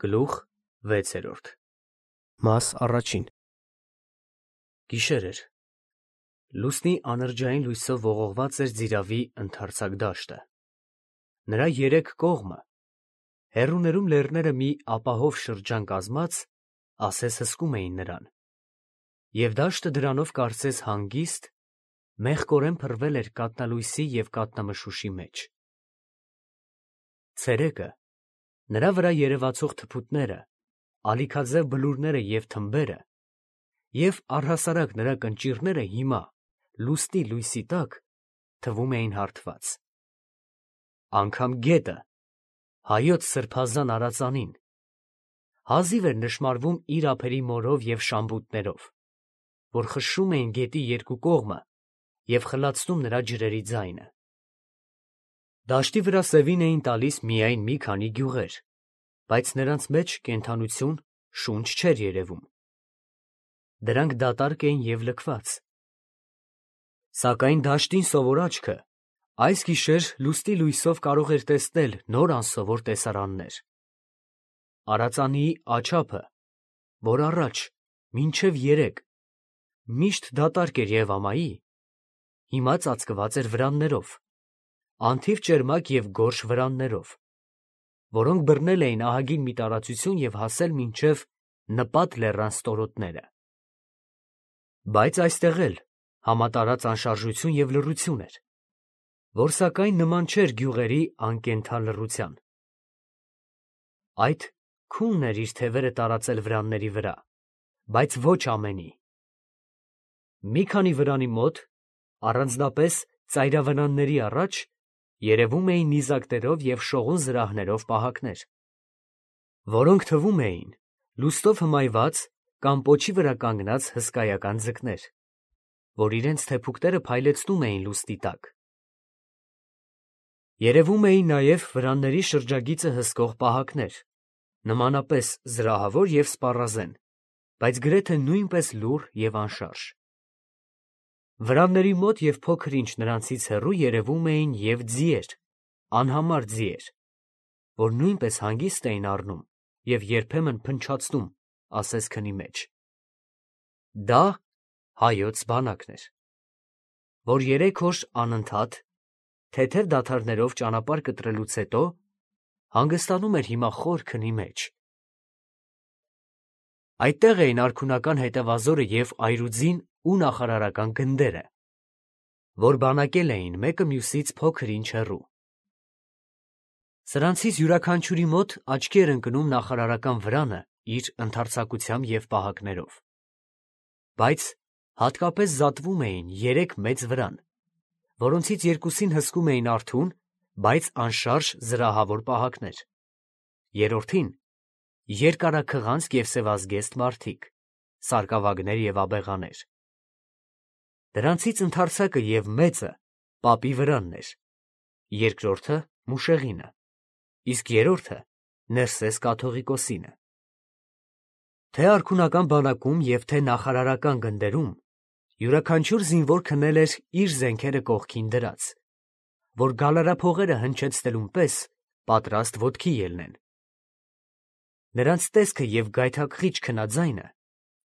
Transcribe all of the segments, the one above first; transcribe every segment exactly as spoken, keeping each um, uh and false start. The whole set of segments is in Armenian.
Գլուխ վեցերորդ Մաս առաջին Գիշեր էր։ Լուսնի անրջային լույսով ողողված էր Ձիրավի ընդարձակ դաշտը։ Նրա երեք կողմը, հեռուներում լեռները մի ապահով շրջան կազմած, ասես հսկում էին նրան, և դաշտը դրանով կարծես հանգիստ, մեղկորեն փռվել էր կաթնալույսի և կաթնամշուշի մեջ։ Ցերեկը, նրա վրա երևացող թփուտները, ալիքաձև բլուրները և թմբերը, և առհասարակ նրա կնճիռները հիմա, լուսնի լույսի տակ, թվում էին հարթված։ Անգամ գետը, հայոց սրբազան արածանին, հազիվ էր նշմարվում իր ափերի մորով և շամբուտներով, որ խշշում էին գետի երկու կողմը և խլացնում նրա ջրերի ձայնը։ Դաշտի վրա սևին էին տալիս միայն մի քանի գյուղեր, բայց նրանց մեջ կենդանություն, շունչ չէր երևում. դրանք դատարկ էին և լքված։ Սակայն դաշտին սովոր աչքը այս գիշեր լուսնի լույսով կարող էր տեսնել նոր անսովոր տեսարաններ։ Արածանիի աջափը, որ առաջ, մինչև երեկ, միշտ դատարկ էր և ամայի, հիմա ծածկված էր վրաններով, անթիվ ճերմակ և գորշ վրաններով, որոնք բռնել էին ահագին մի տարածություն և հասել մինչև Նպատ լեռան ստորոտները։ Բայց այստեղ էլ համատարած անշարժություն և լռություն էր, որ սակայն նման չէր գյուղերի անկենդան լռության։ Այդ քունն էր իր թևերը տարածել վրանների վրա, բայց ոչ ամենի։ Մի քանի վրանի մոտ, առանձնապես ծայրավրանների առաջ, երևում էին նիզակներով և շողուն զրահներով պահակներ, որոնք թվում էին լուսնով հմայված կամ պոչի վրա կանգնած հսկայական ձկներ, որ իրենց թեփուկները փայլեցնում էին լուսնի տակ։ Երևում էին նաև վրանների շրջագիծը հսկող պահակներ, նմանապես զրահավոր և սպառազեն, բայց գրեթե նույնպես լուռ և անշարժ։ Վրանների մոտ և փոքր-ինչ նրանցից հեռու երևում էին և ձիեր, անհամար ձիեր, որ նույնպես հանգիստ էին առնում և երբեմն փնչացնում, ասես քնի մեջ։ Դա հայոց բանակն էր, որ երեք օր անընդհատ, թեթև դադարներով ճանապարհ կտրելուց հետո, հանգստանում էր հիմա խոր քնի մեջ։ Այդտեղ էին արքունական հետևազորը և այրուձին ու նախարարական գնդերը, որ բանակել էին մեկը մյուսից փոքր-ինչ հեռու։ Սրանցից յուրաքանչյուրի մոտ աչքի էր ընկնում նախարարական վրանը իր ընդարձակությամբ և պահակներով, բայց հատկապես զատվում էին երեք մեծ վրան, որոնցից երկուսին հսկում էին արթուն, բայց անշարժ զրահավոր պահակներ, երրորդին երկարաքղանցք և սևազգեստ մարդիկ, սարկավագներ և աբեղաներ։ Դրանցից ընդարձակը և մեծը պապի վրանն էր, երկրորդը մուշեղինը, իսկ երրորդը Ներսես կաթողիկոսինը։ Թե՛ արքունական բանակում և թե՛ նախարարական գնդերում յուրաքանչյուր զինվոր քնել էր իր զենքերը կողքին դրած, որ գալարափողերը հնչեցնելուն պես պատրաստ ոտքի ելնեն։ Նրանց տեսքը և գայթակղիչ քնաձայնը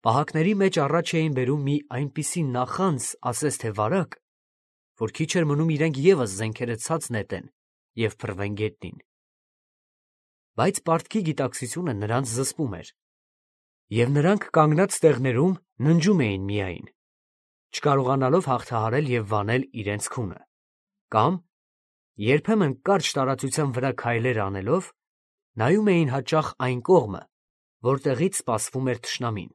պահակների մեջ առաջ էին բերում մի այնպիսի նախանձ, ասես թե վարակ, որ քիչ էր մնում իրենք ևս զենքերը ցած նետեն և փռվեն գետնին։ Բայց պարտքի գիտակցությունը նրանց զսպում էր, և նրանք կանգնած տեղներում ննջում էին միայն, չկարողանալով հաղթահարել և վանել իրենց քունը, կամ, երբեմն կարճ տարածության վրա քայլեր անելով, նայում էին հաճախ այն կողմը, որտեղից սպասվում էր թշնամին։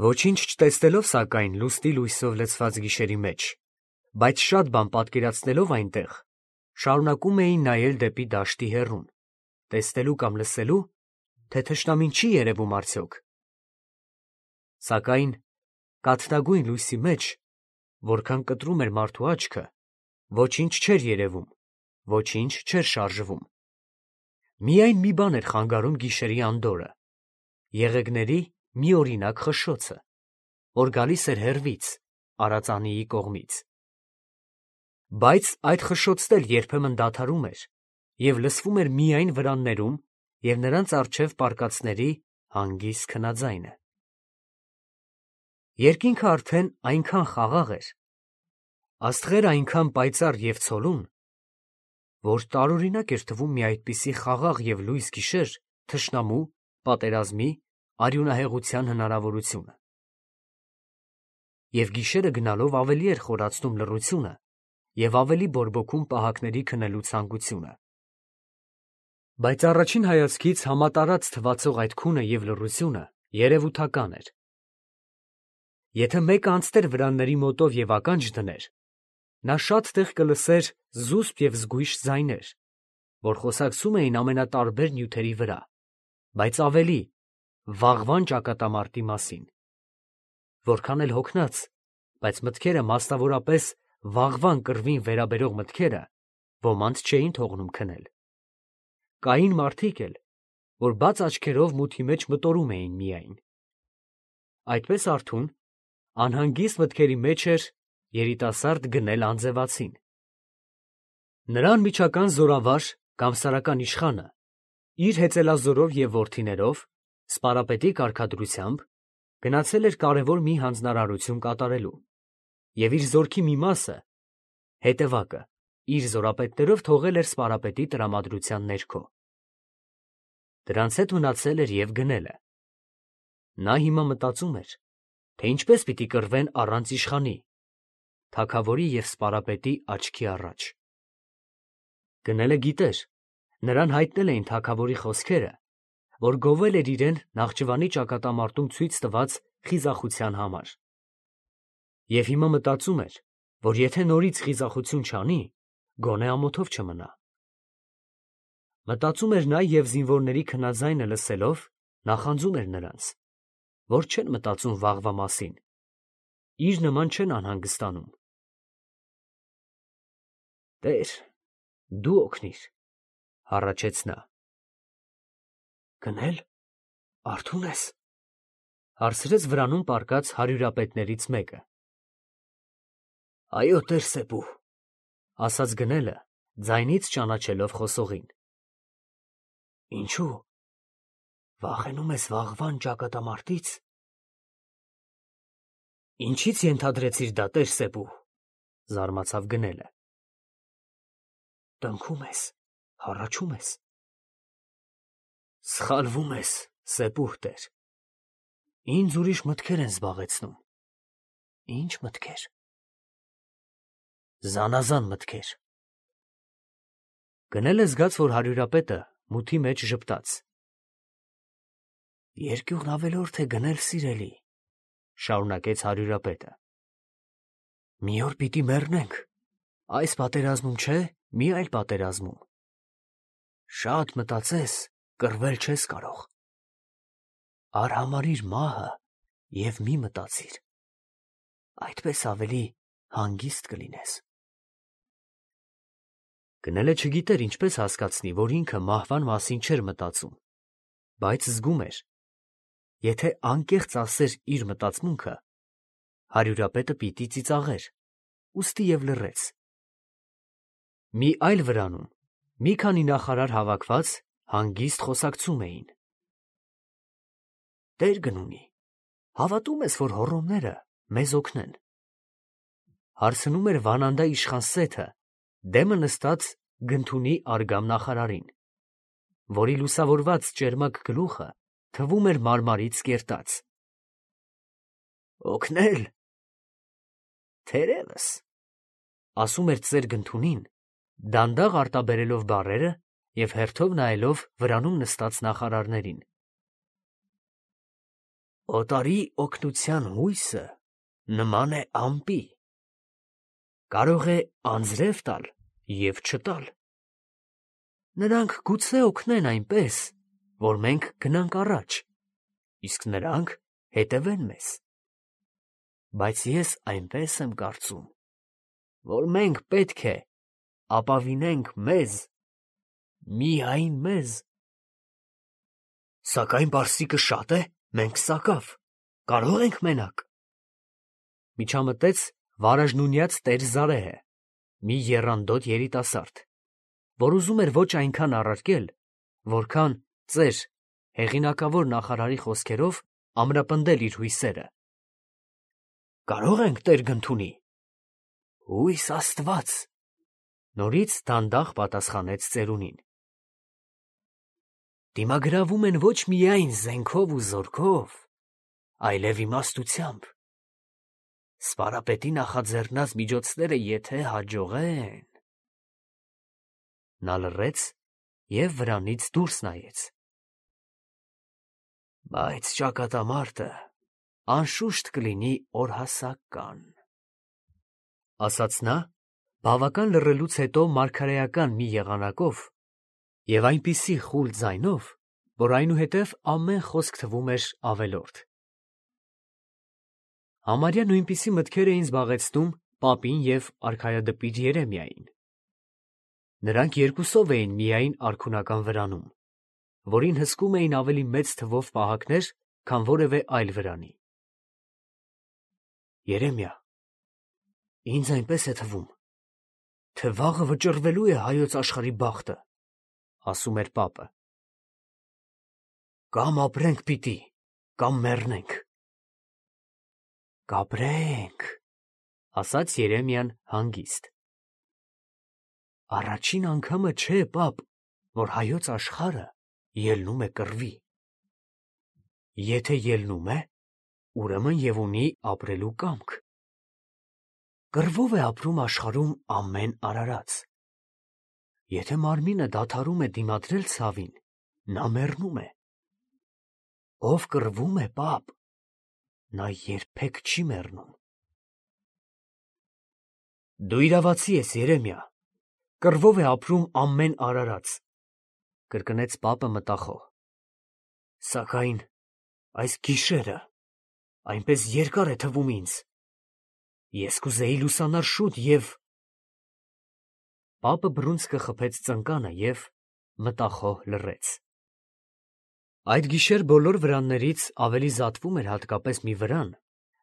Ոչինչ չտեսնելով, սակայն, լուսնի լույսով լցված գիշերի մեջ, բայց շատ բան պատկերացնելով այնտեղ, շարունակում էին նայել դեպի դաշտի հեռուն, տեսնելու կամ լսելու, թե թշնամին չի երևում արդյոք։ Սակայն կաթնագույն լույսի մեջ, որքան կտրում էր մարդու աչքը, ոչինչ չէր երևում, ոչինչ չէր շարժվում։ Միայն մի բան էր խանգարում գիշերի անդորրը՝ եղեգների մի օրինակ խշշոցը, որ գալիս էր հեռվից, արածանիի կողմից։ Բայց այդ խշշոցն էլ երբեմն դադարում էր և լսվում էր միայն վրաններում և նրանց առջև պարկածների հանգիստ քնաձայնը։ Երկինքը արդեն այնքան խաղաղ էր, աստղերը այնքան պայծառ և ցոլուն, որ տարօրինակ էր թվում մի այդպիսի խաղաղ և լույս գիշեր թշնամու, պատերազմի, արյունահեղության հնարավորությունը։ Եվ գիշերը գնալով ավելի էր խորացնում լռությունը և ավելի բորբոքում պահակների քնելու ցանկությունը։ Բայց առաջին հայացքից համատարած թվացող այդ քունը և լռությունը երևութական էր։ Եթե մեկը անցներ վրանների մոտով և ականջ դներ, նա շատ տեղ կլսեր զուսպ և զգույշ ձայներ, որ խոսակցում էին ամենատարբեր նյութերի վրա, բայց ավելի վաղվան ճակատամարտի մասին։ Որքան էլ հոգնած, բայց մտքերը, մասնավորապես վաղվան կռվին վերաբերող մտքերը, ոմանց չէին թողնում քնել։ Կային մարդիկ էլ, որ բաց աչքերով մութի մեջ մտորում էին միայն։ Այդպես արթուն, անհանգիստ մտքերի մեջ էր երիտասարդ գնել անձևացին։ Նրա անմիջական զորավար կամ սարական իշխանը իր հեծելազորով և որդիներով, սպարապետի կարգադրությամբ, գնացել էր կարևոր մի հանձնարարություն կատարելու և իր զորքի մի մասը, հետևակը, իր զորապետներով թողել էր սպարապետի տրամադրության ներքո։ Դրանց հետ մնացել էր և գնելը։ Նա հիմա մտածում էր, թե ինչպես պիտի կռվեն առանց իշխանի, թագավորի և սպարապետի աչքի առաջ։ Գնելը գիտեր, նրան հայտնել էին թագավորի խոսքերը, որ գովել էր իրեն Նախճիվանի ճակատամարտում ցույց տված խիզախության համար։ Եվ հիմա մտածում էր, որ եթե նորից խիզախություն չանի, գոնե ամոթով չմնա։ Մտածում էր նա և զինվորների քնաձայնը լսելով նախանձում էր նրանց, որ չեն մտածում վաղվա մասին, իր նման չեն անհանգստանում։ «Տեր, դու օգնիր», հառաչեց նա։ «Գնե՞լ, արթո՞ւն ես», հարցրեց վրանում պառկած հարյուրապետներից մեկը։ «Այո, տեր֊Սեբու», ասաց գնելը, ձայնից ճանաչելով խոսողին։ «Ինչո՞ւ, վախենում ես վաղվան ճակատամարտից»։ «Ինչի՞ց ենթադրեցիր դա, տեր֊Սեբու», զարմացավ գնելը։ «Տնքում ես, հառաչում ես»։ «Սխալվում ես, Սեբուհ տեր, ինձ ուրիշ մտքեր են զբաղեցնում»։ «Ի՞նչ մտքեր»։ «Զանազան մտքեր»։ Գնելը զգաց, որ հարյուրապետը մութի մեջ ժպտաց։ «Երկյուղն ավելորդ է գնել, սիրելի», շարունակեց հարյուրապետը։ «Մի օր պիտի մեռնենք, այս պատերազմում չէ, մի այլ պատերազմում։ Շատ մտածես, կռվել չես կարող։ Արհամարհիր մահը և մի մտածիր, այդպես ավելի հանգիստ կլինես»։ Գնելը չգիտեր ինչպես հասկացնի, որ ինքը մահվան մասին չէր մտածում, բայց զգում էր, եթե անկեղծ ասեր իր մտածմունքը, հարյուրապետը պիտի ծիծաղեր, ուստի և լռեց։ Մի այլ վրանում մի քանի նախարար հավաքված հանգիստ խոսակցում էին։ «Տեր Գնունի, հավատո՞ւմ ես, որ հոռոմները մեզ օգնեն», հարցնում էր Վանանդա իշխան Սեթը, դեմը նստած Գնթունի Արգամ նախարարին, որի լուսավորված ճերմակ գլուխը թվում էր մարմարից կերտած։ «Օգնել… թերևս», ասում էր ծեր Գնթունին, դանդաղ արտաբերելով բառերը և հերթով նայելով վրանում նստած նախարարներին։ «Օտարի օգնության հույսը նման է ամպի, կարող է անձրև տալ և չտալ։ Նրանք գուցե օգնեն այնպես, որ մենք գնանք առաջ, իսկ նրանք հետևեն մեզ։ Բայց ես այնպես եմ կարծում, որ մենք պետք է ապավինենք մեզ, միայն մեզ։ Սակայն պարսիկը շատ է, մենք սակավ, կարո՞ղ ենք մենակ», միջամտեց վարաժնունյաց տեր Զարեհը, մի եռանդոտ երիտասարդ, որ ուզում էր ոչ այնքան առարկել, որքան ծեր, հեղինակավոր նախարարի խոսքերով ամրապնդել իր հույսերը։ Կարո՞ղ ենք, Տեր Գնթունի։ Հույս Աստված, նորից դանդաղ պատասխանեց ծերունին։ Դիմագրավում են ոչ միայն զենքով ու զորքով, այլև իմաստությամբ։ Սպարապետի նախաձեռնած միջոցները եթե հաջողեն… Նա լռեց և վրանից դուրս նայեց։ Բայց ճակատամարտը անշուշտ կլինի օրհասական, ասաց նա, բավական լռելուց հետո մարգարեական մի եղանակով և այնպիսի խուլ ձայնով, որ այնուհետև ամեն խոսք թվում էր ավելորդ։ Համարյա նույնպիսի մտքեր էին զբաղեցնում պապին և արքայադպիր Երեմիային։ Նրանք երկուսով էին միայն արքունական վրանում, որին հսկում էին ավելի մեծ թվով պահակներ, քան որևէ այլ վրանի։ Երեմիա, ինձ այնպես է թվում, թե վաղը վճռվելու է հայոց աշխարհի բախտը, ասում էր պապը։ Կամ ապրենք պիտի, կամ մեռնենք։ Կապրենք, ասաց Երեմիան հանգիստ։ Առաջին անգամը չէ, պապ, որ հայոց աշխարհը ելնում է կռվի։ Եթե ելնում է, ուրեմն և ունի ապրելու կամք։ Կռվով է ապրում աշխարհում ամեն արարած։ Եթե մարմինը դադարում է դիմադրել ցավին, նա մեռնում է։ Ով կռվում է, պապ, նա երբեք չի մեռնում։ Դու իրավացի ես, Երեմիա, կռվով է ապրում ամեն արարած, կրկնեց պապը մտախոհ։ Սակայն այս գիշերը այնպես երկար է թվում ինձ, ես կուզեի լուսանալ շուտ և… Պապը բռունցքը խփեց ծնկանը և մտախոհ լռեց։ Այդ գիշեր բոլոր վրաններից ավելի զատվում էր հատկապես մի վրան,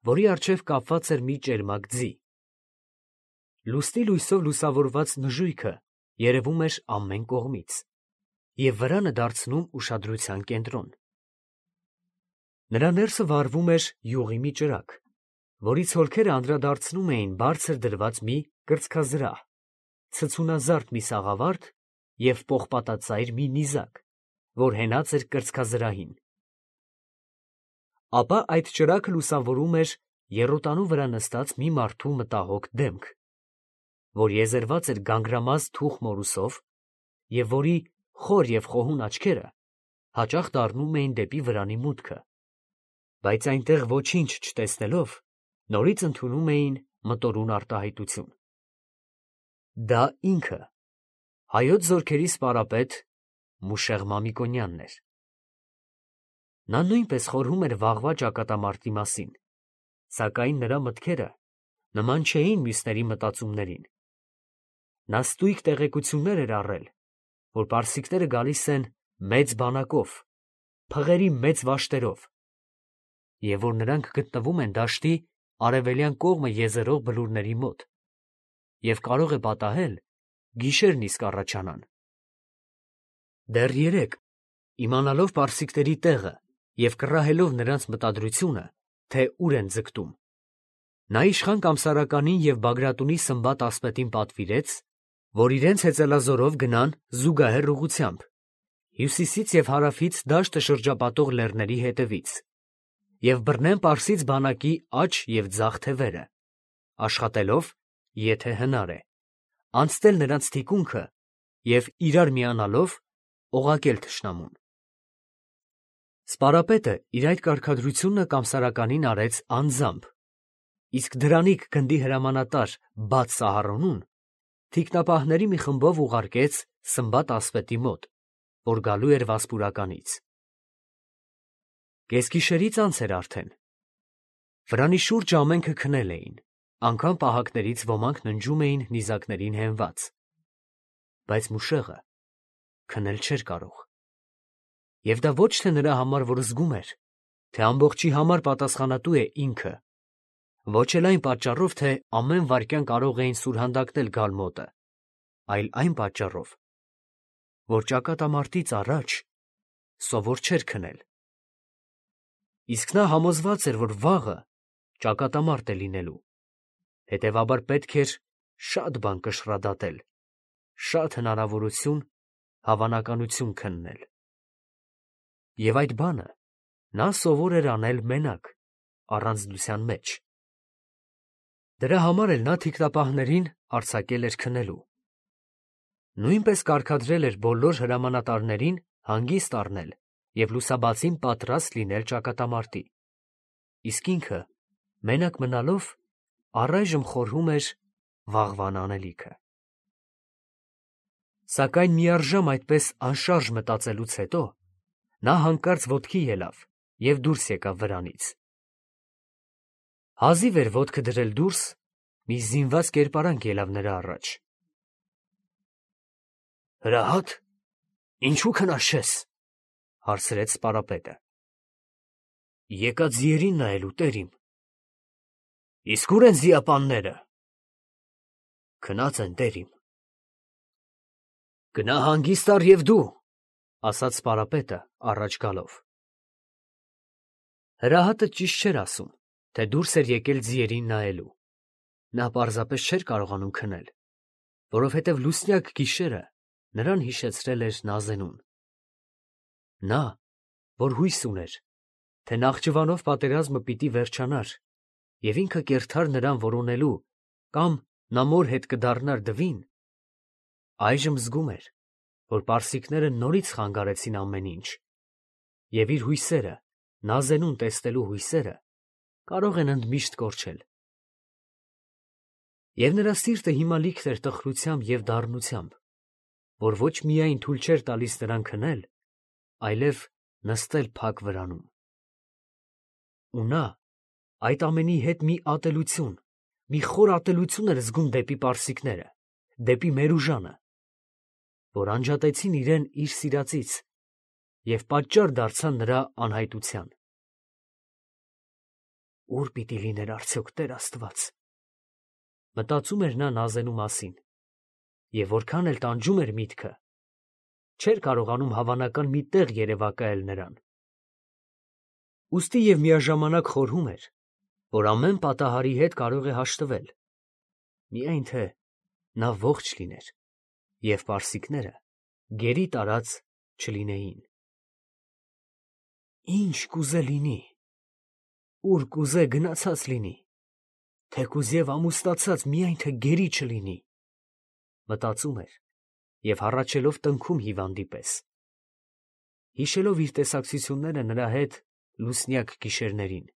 որի առջև կապված էր մի ճերմակ ձի։ Լուսնի լույսով լուսավորված նժույգը երևում էր ամեն կողմից և վրանը դարձնում ուշադրության կենտրոն։ Նրա ներսը վառվում էր յուղի մի ճրագ, որի ցոլքերը անդրադարձնում էին բարձր դրված մի կրծքազրահ, ցցունազարդ մի սաղավարտ և պողպատածայր մի նիզակ, որ հենած էր կրծքազրահին։ Ապա այդ ճրագը լուսավորում էր եռոտանու վրա նստած մի մարդու մտահոգ դեմք, որ եզերված էր գանգրամած թուխ մորուսով և որի խոր և խոհուն աչքերը հաճախ դառնում էին դեպի վրանի մուտքը, բայց այնտեղ ոչինչ չտեսնելով, նորից ընդունում էին մտորուն արտահայտություն։ Դա ինքը, հայոց զորքերի սպարապետ Մուշեղ Մամիկոնյանն էր։ Նա նույնպես խորհում էր վաղվա ճակատամարտի մասին, սակայն նրա մտքերը նման չէին մյուսների մտածումներին։ Նա ստույգ տեղեկություններ էր առել, որ պարսիկները գալիս են մեծ բանակով, փղերի մեծ վաշտերով, և որ նրանք գտնվում են դաշտի արևելյան կողմը եզերող բլուրների մոտ, և կարող է պատահել գիշերն իսկ առաջանան։ Դեռ երեկ, իմանալով պարսիկների տեղը և կռահելով նրանց մտադրությունը, թե ուր են ձգտում, նա իշխան Կամսարականին և Բագրատունի Սմբատ ասպետին պատվիրեց, որ իրենց հեծելազորով գնան զուգահեռ ուղղությամբ, հյուսիսից և հարավից դաշտը շրջապատող լեռների հետևից, և բռնեն պարսից բանակի աջ և ձախ թևերը, աշխատելով, եթե հնար է, անցնել նրանց թիկունքը և իրար միանալով օղակել թշնամուն։ Սպարապետը իր այդ կարգադրությունը Կամսարականին արեց անձամբ, իսկ դրանիք գնդի հրամանատար Բաթ Սահարոնուն թիկնապահների մի խմբով ուղարկեց Սմբատ ասպետի մոտ, որ գալու էր Վասպուրականից։ Կեսգիշերից անց էր արդեն։ Վրանի շուրջ ամենքը քնել էին, անգամ պահակներից ոմանք ննջում էին նիզակներին հենված, բայց Մուշեղը քնել չէր կարող։ Եվ դա ոչ թե նրա համար, որ զգում էր, թե ամբողջի համար պատասխանատու է ինքը, ոչ էլ այն պատճառով, թե ամեն վայրկյան կարող էին սուրհանդակնել գալ մոտը, այլ այն պատճառով, որ ճակատամարտից առաջ սովոր չէր քնել։ Իսկ նա համոզված էր, որ վաղը ճակատամարտ է լինելու, հետևաբար պետք էր շատ բան կշռադատել, շատ հնարավորություն, հավանականություն քննել։ Եվ այդ բանը նա սովոր էր անել մենակ, առանձնության մեջ։ Դրա համար էլ նա թիկնապահներին արձակել էր քնելու։ Նույնպես կարգադրել էր բոլոր հրամանատարներին հանգիստ առնել և լուսաբացին պատրաստ լինել ճակատամարտի, իսկ ինքը մենակ մնալով առայժմ խորհում էր վաղվան անելիքը։ Սակայն միառժամ այդպես անշարժ մտածելուց հետո նա հանկարծ ոտքի ելավ և դուրս եկավ վրանից։ Հազիվ էր ոտքը դրել դուրս, մի զինված կերպարանք ելավ նրա առաջ։ «Հրահա՞տ, ինչու քնած չես», հարցրեց սպարապետը։ «Եկա ձիերին նայելու, տեր իմ»։ «Իսկ ո՞ւր են զիապանները»։ «Քնած են, տեր իմ»։ «Գնա հանգիստ առ և դու», ասաց սպարապետը առաջ գալով։ Հրահատը ճիշտ չէր ասում, թե դուրս էր եկել ձիերին նայելու։ Նա պարզապես չէր կարողանում քնել, որովհետև լուսնյակ գիշերը նրան հիշեցրել էր Նազենուն։ Նա, որ հույս ուներ, թե Նախճիվանով պատերազմը պիտի վերջանար, և ինքը կերթար նրան որոնելու կամ նա մոր հետ կդառնար դվին, այժմ զգում էր, որ պարսիկները նորից խանգարեցին ամեն ինչ, և իր հույսերը, Նազենուն տեսնելու հույսերը, կարող են ընդմիշտ կորչել։ Եվ նրա սիրտը հիմա լիքն էր տխրությամբ և դառնությամբ, որ ոչ միայն թույլ չէր տալիս նրան քնել, այլև նստել փակ վրանում։ Ու նա այդ ամենի հետ մի ատելություն, մի խոր ատելություն էր զգում դեպի պարսիկները, դեպի Մերուժանը, որ անջատեցին իրեն իր սիրածից և պատճառ դարձան նրա անհայտության։ Ո՞ւր պիտի լիներ արդյոք Տեր Աստված, մտածում էր նա Նազենու մասին, և որքան էլ տանջում էր միտքը, չէր կարողանում հավանական մի տեղ երևակայել նրան։ Ուստի և միաժամանակ խորհում էր, որ ամեն պատահարի հետ կարող է հաշտվել, միայն թե նա ողջ լիներ, և պարսիկները գերի տարած չլինեին։ Ինչ կուզե լինի, ուր կուզե գնացած լինի, թեկուզ և ամուսնացած, միայն թե գերի չլինի, մտածում էր և հառաչելով տնքում հիվանդի պես, հիշելով իր տեսակցությունները նրա հետ լուսնյակ գիշերներին,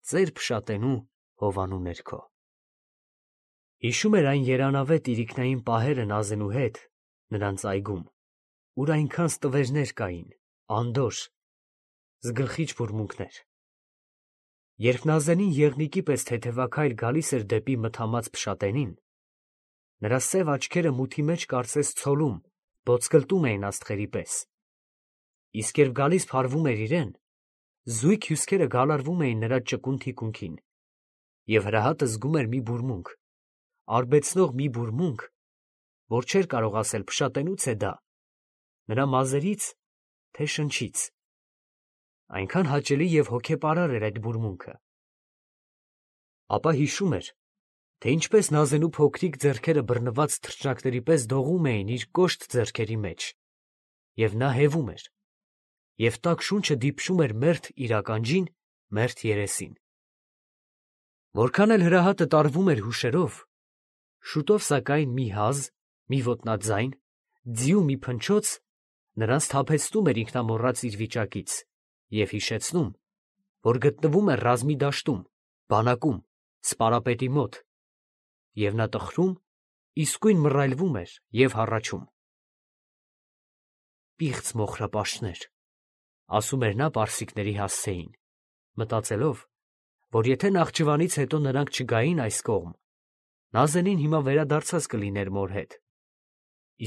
ծեր Փշատենու հովանու ներքո։ Հիշում էր այն երանավետ իրիկնային պահերը Նազենու հետ նրանց այգում, ուր այնքան ստվերներ կային, անդորր, զգլխիչ բուրմունքներ։ Երբ Նազենին եղնիկի պես թեթևաքայլ գալիս էր դեպի մթամած Փշատենին, նրա սև աչքերը մութի մեջ կարծես ցոլում, ոսկլտում էին աստղերի պես, իսկ երբ գալիս փարվում էր իրեն, զույգ հյուսքերը գալարվում էին նրա ճկուն թիկունքին, և Հրահատը զգում էր մի բուրմունք, արբեցնող մի բուրմունք, որ չէր կարող ասել Փշատենու՞ց է դա, նրա մազերից, թե շնչից, այնքան հաճելի և հոգեպարար էր այդ բուրմունքը։ Ապա հիշում էր, թե ինչպես Նազենու փոքրիկ ձեռքերը բռնված թռչնակների պես դողում էին իր կոշտ ձեռքերի մեջ, և նա հևում էր, և տաք շունչը դիպչում էր մերթ իր ականջին, մերթ երեսին։ Որքան էլ Հրահատը տարվում էր հուշերով, շուտով սակայն մի հազ, մի ոտնաձայն, ձիու մի փնչոց նրան սթափեցնում էր ինքնամոռաց իր վիճակից և հիշեցնում, որ գտնվում է ռազմի դաշտում, բանակում, սպարապետի մոտ, և նա տխրում, իսկույն մռայլվում էր և հառաչում։ «Պիղծ մոխրապաշտներ», ասում էր նա պարսիկների հասցեին, մտածելով, որ եթե Նախճիվանից հետո նրանք չգային այս կողմ, Նազենին հիմա վերադարձած կլիներ մոր հետ,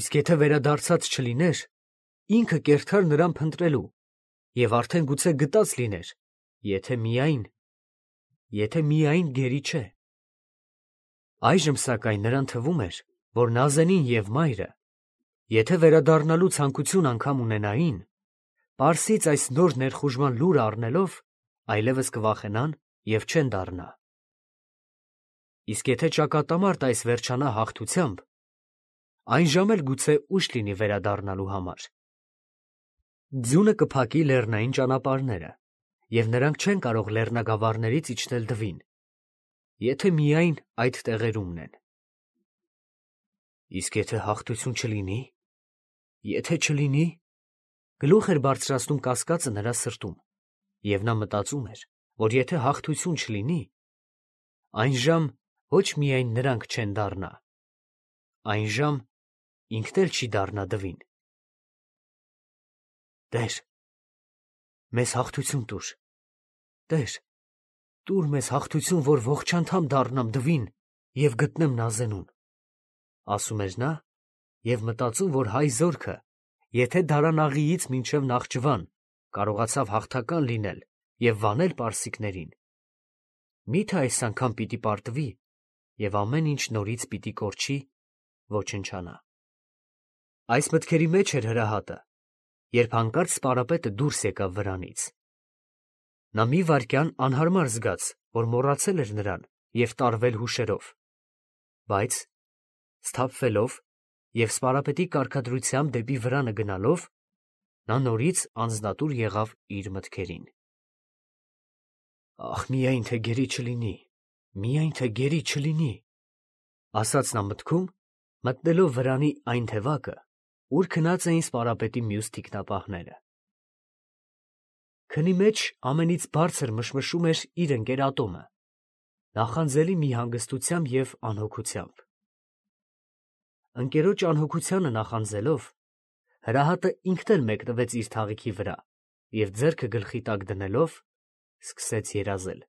իսկ եթե վերադարձած չլիներ, ինքը կերթար նրան փնտրելու և արդեն գուցե գտած լիներ, եթե միայն… եթե միայն գերի չէ։ Այժմ սակայն նրան թվում էր, որ Նազենին և մայրը, եթե վերադառնալու ցանկություն անգամ ունենային, Պարսից այս նոր ներխուժման լուրը առնելով, այլևս կվախենան և չեն դառնա։ Իսկ եթե ճակատամարտ այս վերջանա հաղթությամբ, այն ժամ էլ գուցե ուշ լինի վերադառնալու համար։ Ձյունը կփակի լեռնային ճանապարհները, և նրանք չեն կարող լեռնագավառներից իջնել Դվին, եթե միայն այդ տեղերումն են։ Իսկ եթե հաղթություն չլինի, եթե չլինի, գլուխ էր բարձրացնում կասկածը նրա սրտում, և նա մտածում էր, որ եթե հաղթություն չլինի, այն ժամ ոչ միայն նրանք չեն դառնա, այն ժամ ինքն էլ չի դառնա Դվին։ Տեր, մեզ հաղթություն տուր, Տեր, տուր մեզ հաղթություն, որ ողջ անդամ դառնամ Դվին և գտնեմ Նազենուն, ասում էր նա և մտածում, որ հայ զորքը, եթե Դարանաղիից մինչև Նախճիվան կարողացավ հաղթական լինել և վանել պարսիկներին, մի՞թե այս անգամ պիտի պարտվի և ամեն ինչ նորից պիտի կորչի, ոչնչանա։ Այս մտքերի մեջ էր հրահատը, երբ հանկարծ սպարապետը դուրս եկավ վրանից։ Նա մի վայրկյան անհարմար զգաց, որ մոռացել էր նրան և տարվել հուշերով, բայց, սթափվելով և սպարապետի կարգադրությամբ դեպի վրանը գնալով, նա նորից անձնատուր եղավ իր մտքերին։ «Ախ, միայն թե գերի չլինի, միայն թե գերի չլինի», ասաց նա մտքում, մտնելով վրանի այն թևակը, ուր քնած էին սպարապետի մյուս թիկնապահները։ Քնի մեջ ամենից բարձր մշմշում էր իր ընկեր Ատոմը, նախանձելի մի հանգստությամբ և անհոգությամբ։ Ընկերոջ անհոգությանը նախանձելով, հրահատը ինքն էլ մեկնվեց իր թաղիքի վրա և ձեռքը գլխի տակ դնելով, սկսեց երազել։